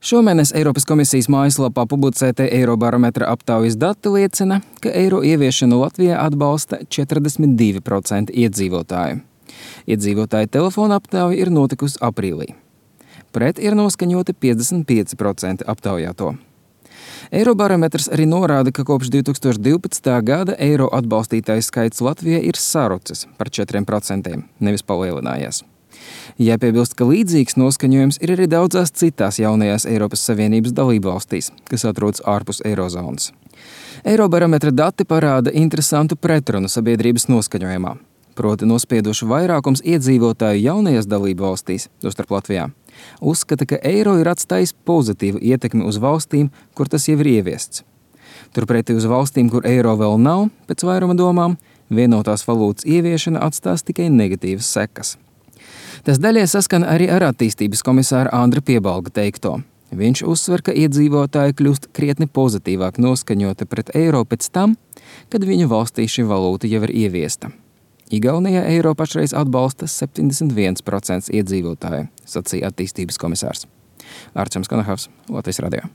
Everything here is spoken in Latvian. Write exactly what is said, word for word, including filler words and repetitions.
Šomēnes Eiropas komisijas mājaslapā publicētie Eirobarometra aptaujas dati liecina, ka eiro ieviešanu Latvijā atbalsta četrdesmit divi procenti iedzīvotāju. Iedzīvotāju telefona aptauja ir notikusi aprīlī. Pret ir noskaņoti piecdesmit pieci procenti aptaujāto. Eirobarometrs arī norāda, ka kopš divi tūkstoši divpadsmitā gada eiro atbalstītāju skaits Latvijā ir sarucis par četriem procentiem, nevis palielinājies. Jāpiebilst, ka līdzīgs noskaņojums ir arī daudzās citās jaunajās Eiropas Savienības dalībvalstīs, kas atrodas ārpus eirozonas. Eirobarometra dati parāda interesantu pretrunu sabiedrības noskaņojumā, proti nospieduši vairākums iedzīvotāju jaunajās dalībvalstīs, tostarp Latvijā, uzskata, ka eiro ir atstājis pozitīvu ietekmi uz valstīm, kur tas jau ir ieviests. Turpretī uz valstīm, kur eiro vēl nav, pēc vairuma domām, vienotās valūtas ieviešana atstās tikai negatīvas sekas. Tas daļai saskana arī ar attīstības komisāra Andra Piebalga teikto. Viņš uzsver, ka iedzīvotāji kļūst krietni pozitīvāk noskaņoti pret eiro pēc tam, kad viņu valstī šī valūta jau ir ieviesta. Igaunijā eiro pašreiz atbalsta septiņdesmit viens procents iedzīvotāju, sacīja attīstības komisārs. Arčuns Konahavs, Latvijas radio.